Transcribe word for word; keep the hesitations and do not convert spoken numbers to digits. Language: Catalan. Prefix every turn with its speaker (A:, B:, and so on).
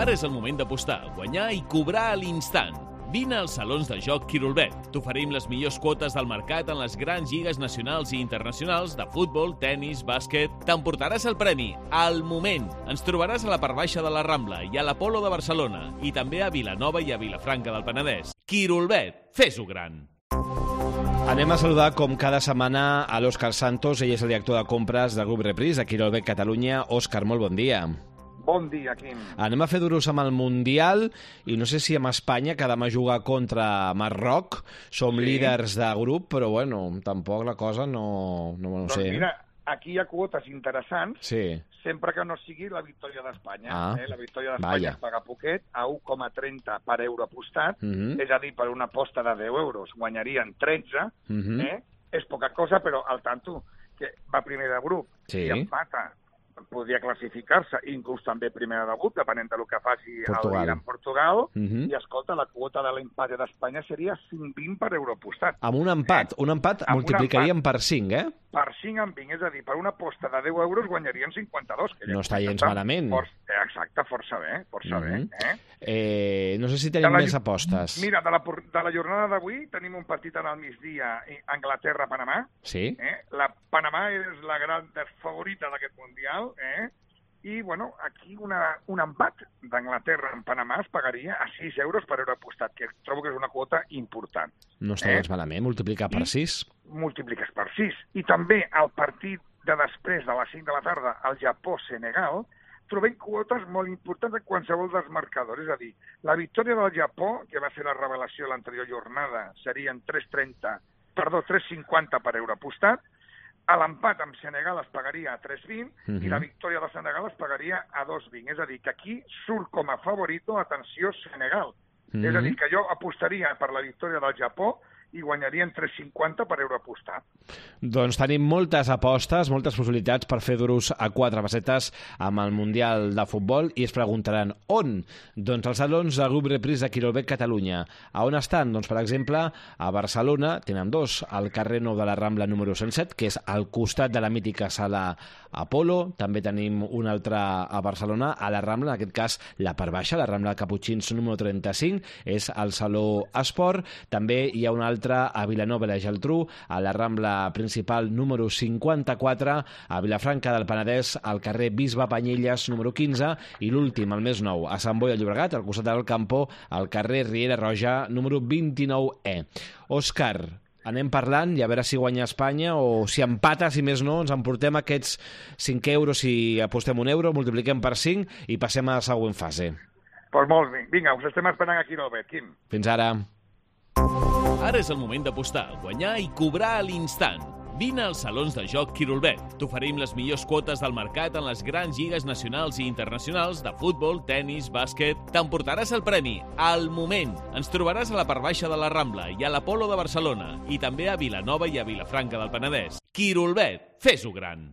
A: Ara és el moment d'apostar, guanyar i cobrar a l'instant. Vine als salons de joc Quirolbet. T'oferim les millors quotes del mercat en les grans lligues nacionals i internacionals de futbol, tennis, bàsquet. T'emportaràs el premi al moment. Ens trobaràs a la part baixa de la Rambla i a l'Apolo de Barcelona i també a Vilanova i a Vilafranca del Penedès. Quirolbet, fes-ho gran!
B: Anem a saludar, com cada setmana, a l'Òscar Santos. Ell és el director de compres del Grup Repris de Quirolbet Catalunya. Òscar, molt bon dia.
C: Bon dia, Quim.
B: Anem a fer duros amb el Mundial i no sé si amb Espanya, que demà juga contra Marroc. Som sí. líders de grup, però bueno, tampoc la cosa no, no, no
C: doncs
B: sé.
C: Mira, aquí hi ha quotes interessants,
B: sí.
C: sempre que no sigui la victòria d'Espanya.
B: Ah,
C: eh? La victòria d'Espanya es paga poquet, a u coma trenta per euro apostat, uh -huh. és a dir, per una aposta de deu euros guanyarien tretze, uh -huh. eh? és poca cosa, però al tanto, que va primer de grup
B: sí.
C: i empata, podria classificar-se, inclús també primera de grup, depenent del que faci
B: Portugal.
C: el Iran Portugal, uh
B: -huh.
C: i escolta, la quota de l'empat d'Espanya seria cinc vint per euro apostat.
B: Amb un empat, eh? un empat amb multiplicaríem empat per cinc, eh?
C: Per cinc en vint, és a dir, per una aposta de deu euros guanyarien cinquanta-dos. Que
B: no està gens malament.
C: For, exacte, força bé, força uh -huh. bé. Eh?
B: Eh, no sé si tenim
C: la,
B: més apostes.
C: Mira, de la, de la jornada d'avui tenim un partit al migdia, Anglaterra-Panamà.
B: Sí.
C: Eh? La Panamà és la gran favorita d'aquest Mundial, eh? I, bueno, aquí una, un empat d'Anglaterra en Panamà es pagaria a sis euros per euro apostat, que trobo que és una quota important.
B: No està eh? gens malament, multiplicar per sis.
C: Multipliques per sis. I també el partit de després de les cinc de la tarda, el Japó-Senegal, trobem quotes molt importants en qualsevol dels marcadors. És a dir, la victòria del Japó, que va ser la revelació l'anterior jornada, serien tres trenta, perdó, tres cinquanta per euro apostat. A l'empat amb Senegal es pagaria a tres vint uh -huh. i la victòria de Senegal es pagaria a dos vint. És a dir, que aquí surt com a favorito, atenció, Senegal. Uh -huh. És a dir, que jo apostaria per la victòria del Japó i guanyarien tres cinquanta per euro apostar.
B: Doncs tenim moltes apostes, moltes possibilitats per fer duros a quatre pessetes amb el Mundial de Futbol i es preguntaran on? Doncs als salons del Grup Repris de Quirolbet Catalunya. A on estan? Doncs, per exemple, a Barcelona tenen dos, al carrer Nou de la Rambla número cent set, que és al costat de la mítica sala Apolo. També tenim un altre a Barcelona, a la Rambla, en aquest cas la part baixa, la Rambla Caputxins número trenta-cinc, és al Saló Esport. També hi ha un altre a Vilanova i la Geltrú, a la Rambla principal número cinquanta-quatre, a Vilafranca del Penedès, al carrer Bisbe Panyelles número quinze, i l'últim, el més nou, a Sant Boi de Llobregat, al costat del Campo, al carrer Riera Roja número vint-i-nou E. Òscar, anem parlant i a veure si guanya Espanya o si empata, si més no, ens emportem aquests cinc euros si apostem un euro, multipliquem per cinc i passem a la següent fase.
C: Doncs pues molt bé. Vinga, us estem esperant aquí al Bet, Quim.
B: Fins ara.
A: Ara és el moment d'apostar, guanyar i cobrar a l'instant. Vine als salons de joc Quirolbet. T'oferim les millors quotes del mercat en les grans lligues nacionals i internacionals de futbol, tennis, bàsquet. T'emportaràs el premi al moment. Ens trobaràs a la part baixa de la Rambla i a l'Apolo de Barcelona i també a Vilanova i a Vilafranca del Penedès. Quirolbet, fes-ho gran!